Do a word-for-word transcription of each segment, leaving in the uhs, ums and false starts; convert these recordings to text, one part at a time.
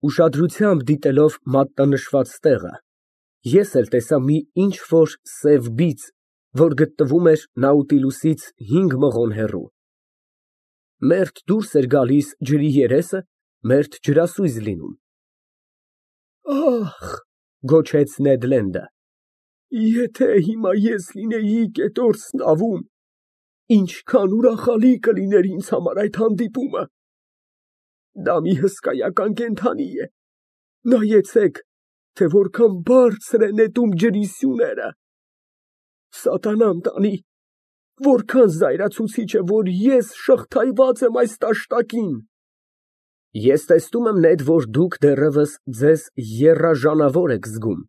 Ուշադրությամբ դիտելով մատնանշված տեղը, ես էլ տեսա մի ինչ֊որ սև բիծ, որ գտնվում էր Նաուտիլուսից հինգ մղոն հեռու։ Մերթ դուրս էր գալիս ջրի երեսը, մերթ ջրասույզ լինում։ «Ախ», գոչեց Նեդ Լենդը, «եթե հիմա ես լինեի կետորս նավում, ինչքան ուրախալի կլիներ ինձ համար այդ հանդիպումը։ Դա մի հսկայական կենդանի է, նայեցեք, թե որքան բարձր է նետում ջրի սյուները։ Սատանան տանի, որքան զայրացուցիչ է, որ ես շղթայված եմ այս տաշտակին»։ Ես տեսնում եմ, Նեդ, որ դուք դեռևս ձեզ եռաժանավոր եք զգում,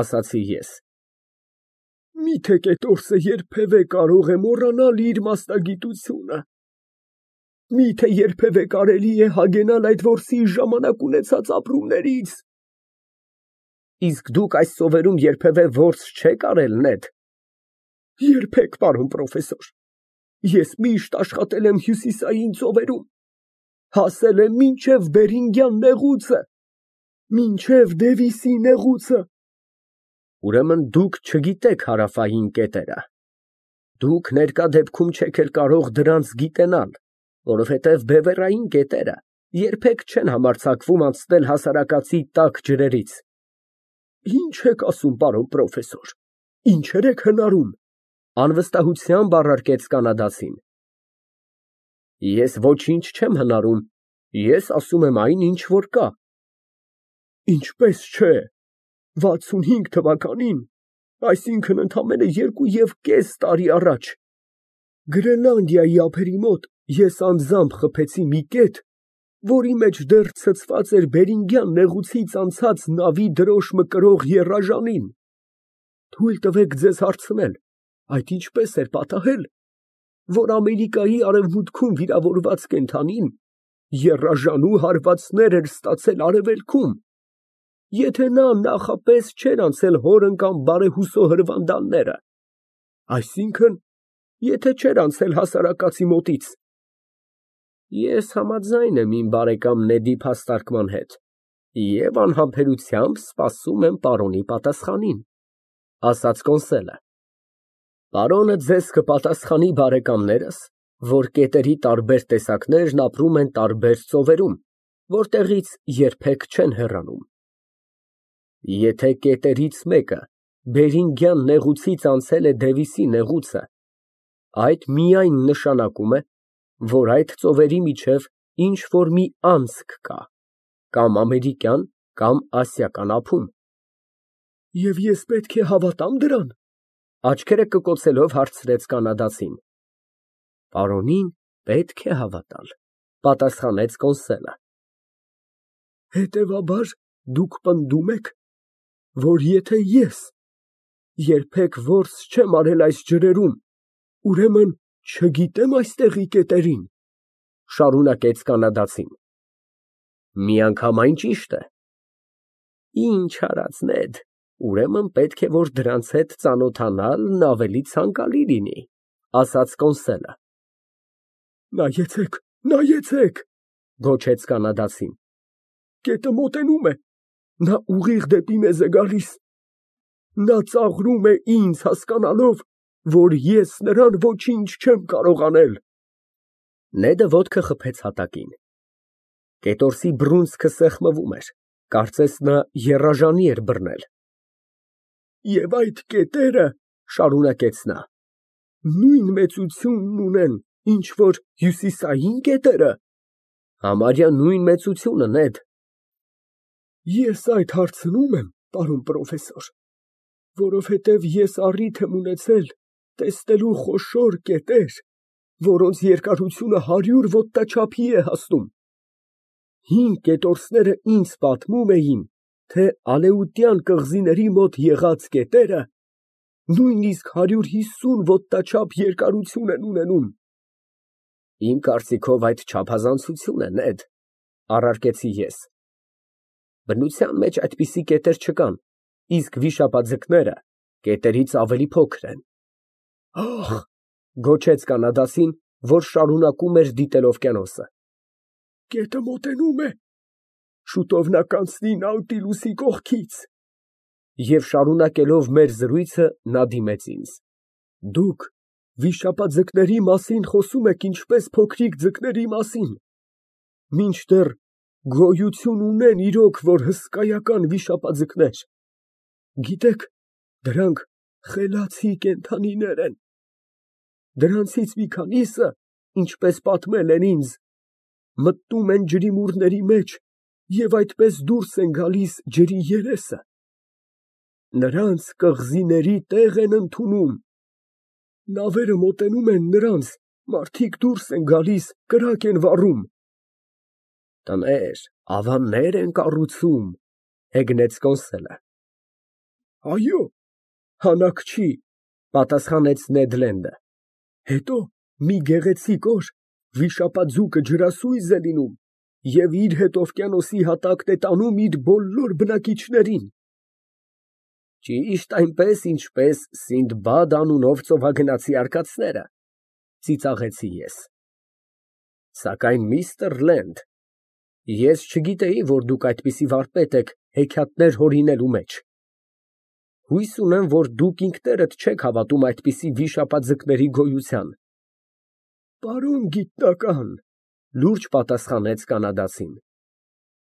ասացի ես։ Միթե կետորսը երբևէ կարող է մոռանալ իր մասնագիտությունը։ Միթե երբևէ կարելի է հագենալ այդ որսի ժամանակ ունեցած ապրումներից։ Իսկ դուք այս ծովերում երբևէ որս չեք արել, Նեդ։ Երբեք, պարոն պրոֆեսոր, ես միշտ աշխատել եմ հյուսիսային ծովերում, հասել եմ մինչև Բերինգյան նեղուցը, մինչև Դևիսի նեղուցը։ Ուրեմն դուք չգիտեք հարավային կետերը։ Դուք ներկա դեպքում չեք էլ կարող դրանց գիտենալ, որովհետև բևեռային կետերը երբեք չեն համարձակվում անցնել հասարակածի տաք ջրերից։ Ինչ եք ասում, պարոն պրոֆեսոր, ինչեր եք հնարում, անվստահությամբ առարկեց կանադացին։ Ես ոչինչ չեմ հնարում, ես ասում եմ այն, ինչ որ կա։ Ինչպես չէ, վաթսունհինգ թվականին, այսինքն ընդամենը երկու և կես տարի առաջ, Գրենլանդիայի ափերի մոտ ես անձամբ խփեցի մի կետ, որի մեջ դեռ ցցված էր Բերինգյան նեղուցից անցած նավի դրոշմը կրող եռաժանին։ Թույլ տվեք ձեզ հարցնել, այդ ինչպես էր պատահել, որ Ամերիկայի արևմուտքում վիրավորված կենդանին եռաժանու հարվածներ էր ստացել արևելքում, եթե նա նախապես չէր անցել հորն կամ բարեհուսո հրվանդանները, այսինքն, եթե չէր անցել հասարակածի մոտից։ Ես համաձայն եմ իմ բարեկամ Նեդի փաստարկման հետ և անհամբերությամբ սպասում եմ պարոնի պատասխանին, ասաց Կոնսելը։ Պարոնը ձեզ կպատասխանի բարեկամներս, որ կետերի տարբեր տեսակներն ապրում են տարբեր ծովերում, որտեղից երբեք չեն հեռանում։ Եթե կետերից մեկը Բերինգյան նեղուցից անցել է Դևիսի նեղուցը, այդ միայն նշանակում է, որ այդ ծովերի միջև ինչ֊որ մի անցք կա, կամ ամերիկյան, կամ ասիական ափում։ Եվ ես պետք է հավատա՞մ դրան, աչքերը կկոցելով հարցրեց կանադացին։ Պարոնին պետք է հավատալ, պատասխանեց Կոնսելը։ Հետևաբար դուք պնդում եք, որ եթե ես երբեք որս չեմ արել այս ջրերում, ուրեմն չգիտեմ այստեղի կետերին, շարունակեց կանադացին։ Միանգամայն ճիշտ է։ Ինչ արած, Նեդ, ուրեմն պետք է, որ դրանց հետ ծանոթանալն ավելի ցանկալի լինի, ասաց Կոնսելը։ Նայեցեք, նայեցեք, գոչեց կանադացին, կետը մոտենում է, նա ուղիղ դեպի մեզ է գալիս, նա ծաղրում է ինձ հասկանալով, որ ես նրան ոչինչ չեմ կարող անել։ Նեդը ոտքը խփեց հատակին։ Կետորսի բռունցքը սեղմվում էր, կարծես նա եռաժանի էր բռնել։ Եվ այդ կետերը, շարունակեց նա, նույն մեծությունն ունեն, ինչ որ հյուսիսային կետերը։ Համարյա նույն մեծությունը, Նեդ։ Ես այդ հարցնում եմ, պարոն պրոֆեսոր, որովհետև ես առիթ եմ ունեցել տեսնելու խոշոր կետեր, որոնց երկարությունը հարյուր ոտնաչափի է հասնում։ Հին կետորսները ինձ պատմում էին, թե Ալեուտյան կղզիների մոտ եղած կետերը նույնիսկ հարյուր հիսուն ոտնաչափ երկարություն են ունենում։ Իմ կարծիքով այդ չափազանցություն է, Նեդ, առարկեցի ես։ Բնության մեջ այդպիսի կետեր չկան, իսկ վիշապաձկները կետերից ավելի փոքր են։ Ախ, գոչեց կանադասին, որ շարունակում էր դիտել օվկիանոսը, կետը մոտենում է, շուտով նա կանցնի Նաուտիլուսի կողքից։ Եվ շարունակելով մեր զրույցը, նա դիմեց ինձ. Դուք վիշապաձկների մասին խոսում եք ինչպես փոքրիկ ձկների մասին, մինչդեռ գոյություն ունեն իրոք, որ հսկայական վիշապաձկներ, գիտեք, դրանք խելացի կենդանիներ են, դրանցից մի քանիսը, ինչպես պատմել են ինձ, մտնում են ջրիմուռների մեջ և այդպես դուրս են գալիս ջրի երեսը, նրանց կղզիների տեղ են ընդունում, նավերը մոտենում են նրանց, մարդիկ դուրս են գալիս, կրակ են վառում։ Տներ, ավաններ են կառուցում, հեգնեց Կոնսելը։ Այո, հանաք չի, պատասխանեց Նեդ Լենդը, հետո մի գեղեցիկ օր վիշապաձուկը ջրասույզ է լինում և իր հետ օվկիանոսի հատակն է տանում իր բոլոր բնակիչներին։ Ճիշտ այնպես, ինչպես Սինդբադ անունով ծովագնացի արկածները, ծիծաղեցի ես։ Սակայն միստր Լենդ, ես չգիտեի, որ դուք այդպիսի վարպետ եք հեքիաթներ հորինելու մեջ։ Հույս ունեմ, որ դուք ինքներդ չեք հավատում այդպիսի վիշապաձկների գոյության։ Պարոն գիտնական, լուրջ պատասխանեց կանադացին,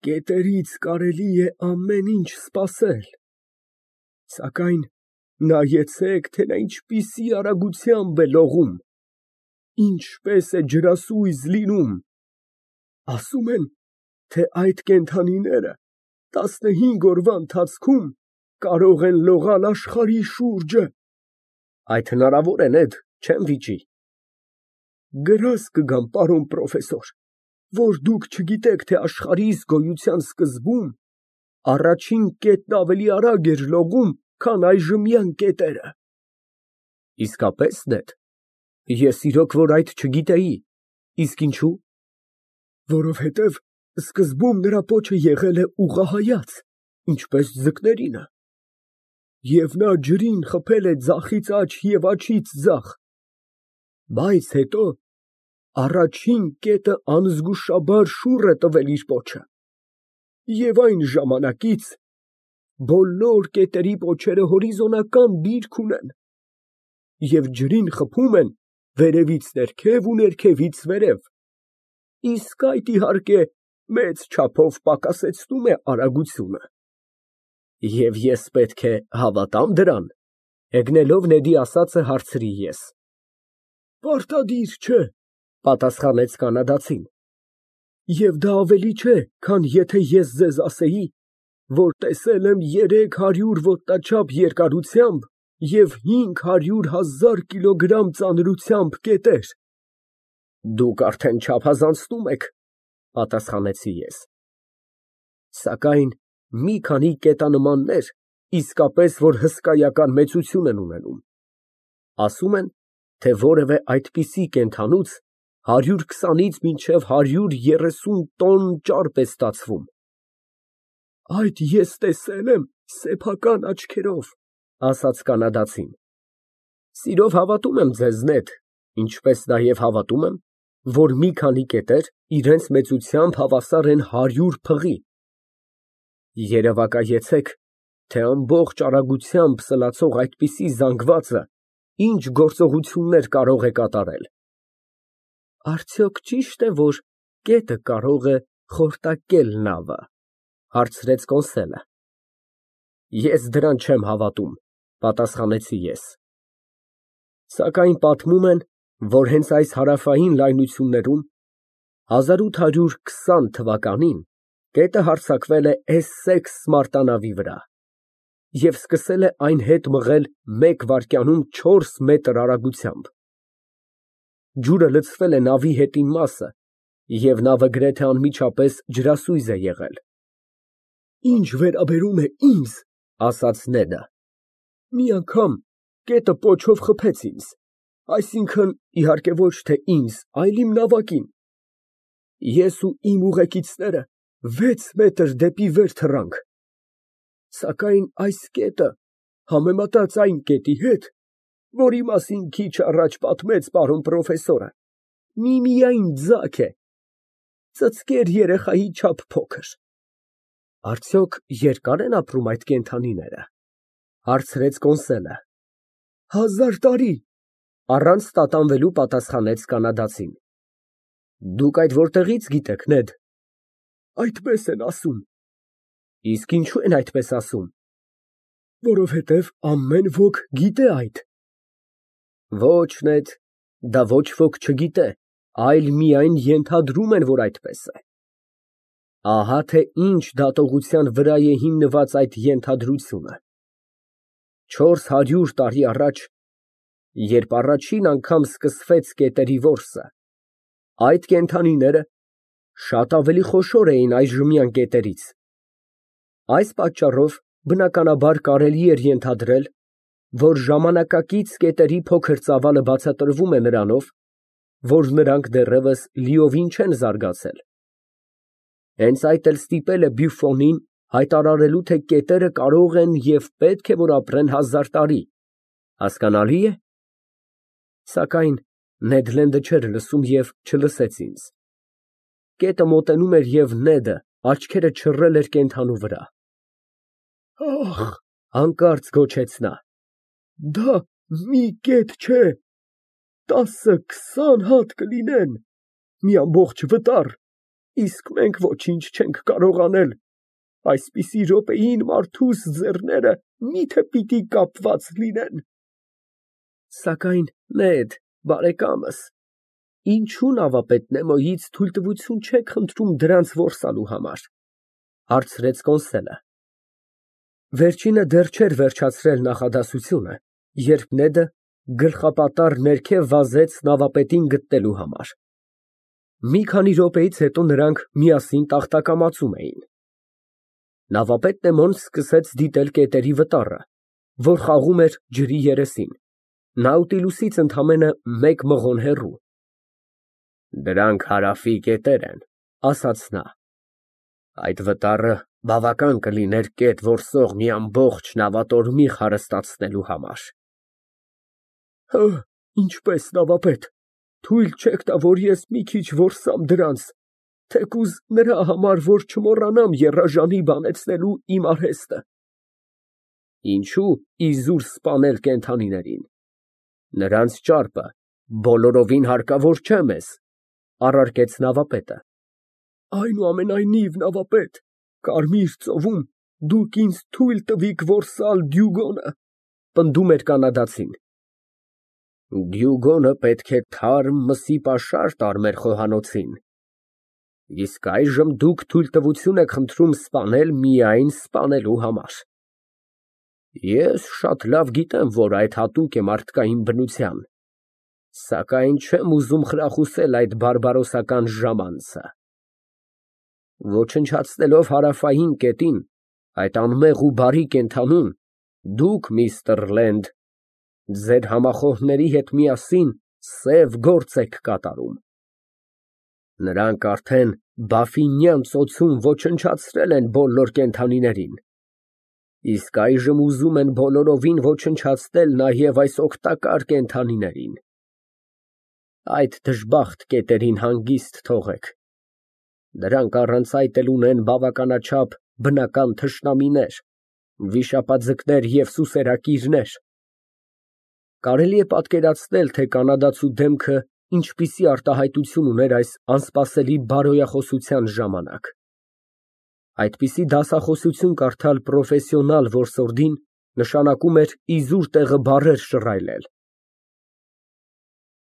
կետերից կարելի է ամեն ինչ սպասել, սակայն նայեցեք, թե նա ինչպիսի արագությամբ է լողում, ինչպես է ջրասույզ լինում, ասում են, թե այդ կենդանիները տասնհինգ օրվա ընթացքում կարող են լողալ աշխարհի շուրջը։ Այդ հնարավոր է, Նեդ, չեմ վիճի։ Գրազ կգամ, պարոն պրոֆեսոր, որ դուք չգիտեք, թե աշխարհիս գոյության սկզբում առաջին կետն ավելի արագ էր լողում, քան այժմյան կետերը։ Իսկապես, Նեդ, ես իրոք որ այդ չգիտեի, իսկ ինչու։ Որովհետև սկզբում նրա պոչը եղել է ուղղահայաց, ինչպես ձկներինը, և նա ջրին խփել է ձախից աջ և աջից ձախ, բայց հետո առաջին կետը անզգուշաբար շուռ է տվել իր պոչը, և այն ժամանակից բոլոր կետերի պոչերը հորիզոնական դիրք ունեն և ջրին խփում են վերևից ներքև ու ներքևից վերև, իսկ այդ, իհարկե, մեծ չափով պակասեցնում է արագությունը։ Եվ ես պետք է հավատա՞մ դրան, հեգնելով Նեդի ասածը հարցրի ես։ Պարտադիր չէ, պատասխանեց կանադացին, և դա ավելի չէ, քան եթե ես ձեզ ասեի, որ տեսել եմ երեք հարյուր ոտնաչափ երկարությամբ և հինգ հարյուր հազար կիլոգրամ ծանրությամբ կետեր։ Դուք արդեն չափազանցնում եք, պատասխանեցի ես։ Սակայն մի քանի կետանմաններ իսկապես որ հսկայական մեծություն են ունենում։ Ասում են, թե որևէ այդպիսի կենդանուց հարյուր քսանից մինչև հարյուր երեսուն տոն ճարպ է ստացվում։ Այդ ես տեսել եմ սեփական աչքերով, ասաց կանադացին։ Սիրով հավատում եմ ձեզ, Նեդ, ինչպես նաև հավատում եմ, որ մի քանի կետեր իրենց մեծությամբ հավասար են հարյուր փղի։ Երևակայեցեք, թե ամբողջ արագությամբ սլացող այդպիսի զանգվածը ինչ գործողություններ կարող է կատարել։ Արդյոք ճի՞շտ է, որ կետը կարող է խորտակել նավը, հարցրեց Կոնսելը։ Ես դրան չեմ հավատում, պատասխանեցի ես։ Սակայն պատմում են, որ հենց այս հարավային լայնություններում հազար ութ հարյուր քսան թվականին կետը հարձակվել է Էսսեքս մարտանավի վրա և սկսել է այն հետ մղել մեկ վայրկյանում չորս մետր արագությամբ։ Ջուրը լցվել է նավի հետին մասը, և նավը գրեթե անմիջապես ջրասույզ է եղել։ Ինչ վերաբերում է ինձ, ասաց Նեդը, մի անգամ կետը պոչով խփեց ինձ, այսինքն, իհարկե ոչ թե ինձ, այլ իմ նավակին։ Ես ու իմ ուղեկիցները վեց մետր դեպի վեր թռանք, սակայն այս կետը, համեմատած այն կետի հետ, որի մասին քիչ առաջ պատմեց պարոն պրոֆեսորը, միմիայն ձագ է, ծծկեր երեխայի չափ փոքր։ Արդյոք երկա՞ր են ապրում այդ կենդանիները, հարցրեց կոնսոլը։ Հազար տարի, առանց տատանվելու պատասխանեց կանադացին։ Դուք այդ որտեղի՞ց գիտեք, Նեդ։ Այդպես են ասում։ Իսկ ինչու են այդպես ասում։ Որովհետև ամեն ոք գիտե այդ։ Ոչ, Նեդ, դա ոչ ոք չգիտե, այլ միայն ենթադրում են, որ այդպես է։ Ահա թե ինչ դատողության վրա է հիմնված այդ ենթադրությունը։ Չորս հարյուր տարի առաջ, երբ առաջին անգամ սկսվեց կետերի որսը, այդ կենդանիները շատ ավելի խոշոր էին այժմյան կետերից։ Այս պատճառով, բնականաբար, կարելի էր ենթադրել, որ ժամանակակից կետերի փոքր ծավալը բացատրվում է նրանով, որ նրանք դեռևս լիովին չեն զարգացել։ Հենց այդ էլ ստիպել է Բյուֆոնին հայտարարելու, թե կետերը կարող են և պետք է որ ապրեն հազար տարի, հասկանալի է։ Սակայն Նեդ Լենդը չէր լսում և չլսեց ինձ։ Կետը մոտենում էր և Նեդը աչքերը չռել էր կենդանու վրա։ Ախ, հանկարծ գոչեց նա, դա մի կետ չէ, տասը֊քսան հատ կլինեն, մի ամբողջ վտար, իսկ մենք ոչինչ չենք կարող անել, այսպիսի րոպեին մարդուս ձեռները մի՞թե պիտի կապված լինեն։ Սակայն, Նեդ, բարեկամս, ինչու նավապետ Նեմոյից թույլտվություն չեք խնդրում դրանց որսալու համար, հարցրեց կոնսոլը։ Վերջինը դեռ չէր վերջացրել նախադասությունը, երբ Նեդը գլխապատառ ներքև վազեց նավապետին գտնելու համար։ Մի քանի րոպեից հետո նրանք միասին տախտակամածում էին։ Նավապետ Նեմոն սկսեց դիտել կետերի վտառը, որ խաղում էր ջրի երեսին, Նաուտիլուսից ընդամենը մեկ մղոն հեռու։ Դրանք Հարավի կետեր են, ասաց նա։ Այդ վտառը բավական կլիներ կետ որսող մի ամբողջ նավատորմիղ հարստացնելու համար։ Հը, ինչպես, նավապետ, թույլ չեք տա, որ ես մի քիչ որսամ դրանց, թեկուզ նրա համար, որ չմոռանամ եռաժանի բանեցնելու իմ արհեստը։ Ինչու իզուր սպանել կենդանիներին։ Նրանց ճարպը բոլորովին հարկավոր չէ մեզ, առարկեց նավապետը։ Այնուամենայնիվ, նավապետ, Կարմիր ծովում դուք ինձ թույլ տվիք որսալ Դյուգոնը, պնդում էր կանադացին։ Դյուգոնը պետք է թարմ մսի պաշար տար մեր խոհանոցին, իսկ այժմ դուք թույլտվություն եք խնդրում սպանել միայն սպանելու համար։ Ես շատ լավ գիտեմ, որ այդ հատուկ է մարդկային բնության, սակայն չեմ ուզում խրախուսել այդ բարբարոսական ժամանցը։ Ոչնչացնելով հարավային կետին, այդ անմեղ ու բարի կենդանուն, դուք, միստր Լենդ, ձեր համախոհների հետ միասին սև գործ եք կատարում։ Նրանք արդեն Բաֆինյան ծոցում ոչնչացրել են բոլոր կենդանիներին, իսկ այժմ ուզում են բոլորովին ոչնչացնել նաև այս օգտակար կենդանիներին։ Այդ դժբախտ կետերին հանգիստ թողեք։ Դրանք առանց այդ էլ ունեն բավականաչափ բնական թշնամիներ, վիշապաձկներ և սուսերակիրներ։ Կարելի է պատկերացնել, թե կանադացու դեմքը ինչպիսի արտահայտություն ուներ այս անսպասելի բարոյախոսության ժամանակ։ Այդպիսի դասախոսություն կարդալ պրոֆեսիոնալ որսորդին նշանակում էր իզուր տեղը բառեր շռայլել։